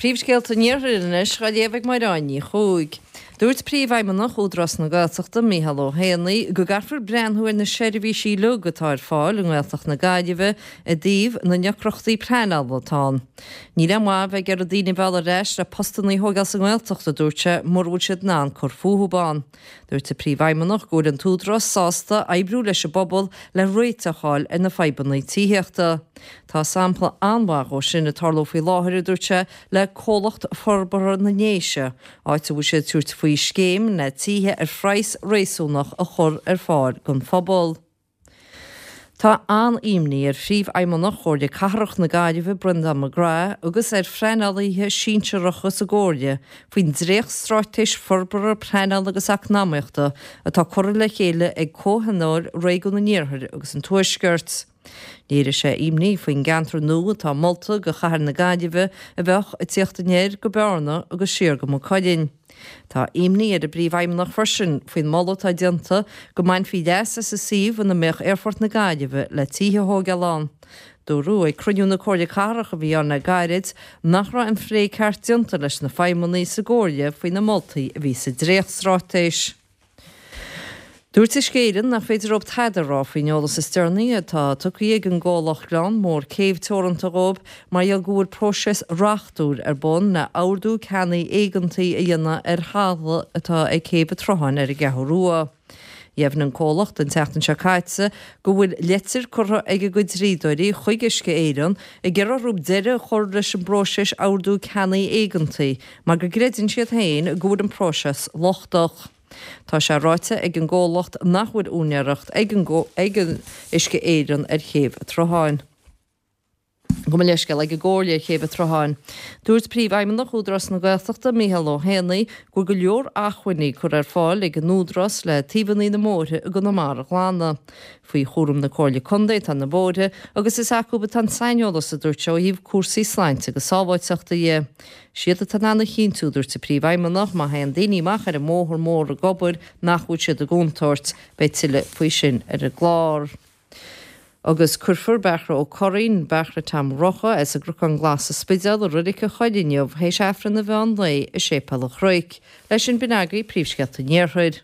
Príomhscéalta an Iarthair anois á léamh ag Máire Ní Chuaig. Dúirt Príomhfheidhmeannach Údarás na Gaeltachta, Micheál Ó hÉanaí, go gcaithfear breathnú ar na seirbhísí uilig atá ar fáil i nGaeltacht na Gaillimhe i dtaobh na ndeacrachtaí pleanála atá ann. Níl aon mhaith bheith ag iarraidh daoine a mhealladh ar ais le postanna a thógáil sa nGaeltacht, a dúirt sé, mura bhfuil siad in ann cur fúthu ann. Dúirt an Príomhfheidhmeannach go bhfuil an tÚdarás sásta oibriú leis an bpobal le réiteach a fháil ar na fadhbanna tithíochta. Tá sampla an-mhaith dhó sin ag tarlú faoi láthair, a dúirt sé, le Comhlacht Forbartha na nDéise, áit a bhfuil siad ag tabhairt faoi scéim le tithe ar phraghas réasúnach a chur ar fáil don phobal. Tá an-imní ar Phríomhfheidhmeannach Chomhairle Cathrach na Gaillimhe, Breandán McGrath, agus ar phleanálaithe sinsearacha sa gComhairle faoin dréacht-straitéis forbartha pleanála agus eacnamaíochta atá curtha le chéile ag Comhthionól Réigiún an Iarthair agus an Tuaiscirt. Léirigh sé imní faoin gceantar nua atá molta do chathair na Gaillimhe a bheadh ag tíocht anoir go Bearna agus siar go Maigh Cuilinn. Tá imní ar an bPríomhfheidhmeannach freisin faoin moladh atá déanta go mbainfí leas as an suíomh ina mbeadh Aerfort na Gaillimhe le tithe a thóigeáil ann. Dúradh ag cruinniú na Comhairle Cathrach a bhí ann le gairid nach raibh an phlé ceart déanta leis na feidhmeannaigh sa gComhairle faoi na moltaí a bhí sa dréachtstraitéis. Dúirt Uisce Éireann nach féidir leo tada a rá faoin eolas is deireanaí atá tugtha ag an gcomhlacht Gleann Mór Céibh Teoranta dhóibh mar gheall go bhfuil próiseas reachtúil ar bun le ordú ceannaigh éigeantaigh a dhéanamh ar thalamh atá ag Céibh an tSrutháin ar an gCeathrú Rua. Dheimhnigh an comhlacht an tseachtain seo caite go bhfuil leitir curtha ag a gcuid dlíodóirí chuig Uisce Éireann ag iarraidh orthu deireadh a chur leis an bpróiseas ordú ceannaigh éigeantaigh mar go gcreideann siad féin go bhfuil an próiseas lochtach. Tá sé ráite ag an gcomhlacht nach bhfuil úinéireacht ag ag Uisce Éireann ar Chéibh an tSrutháin. Gabh mo leithscéal, ag an gComhairle ar Chéibh an tSrutháin. Dúirt Príomhfheidhmeannach Údarás na Gaeltachta, Micheál Ó hÉanaí, go bhfuil go leor acmhainní curtha ar fáil ag an Údarás le taobhanna na mbóithre i gConamara a ghlanadh. Faoi chúram na Comhairle Contae atá na bóithre agus is acu atá an saineolas, a dúirt sé, ó thaobh cúrsaí sláinte agus sábháilteachta dhe. Is iad atá in ann a chinntiú, dúirt an Príomhfheidhmeannach, má théann daoine amach ar an mbóthar mór ag obair nach bhfuil siad i gcontúirt. Beidh tuilleadh faoi sin ar an gclár. Agus cuirfear Beairtle Ó Curraoin, Beairtle Tom Rocha, as an gCnocán Glas sa Spidéal i Reilig an Choill inniu théis Aifreann an mheán lae i Séipéal an Chnoic. Leis sin b'in agaibh príomhscéalta an Iarthair.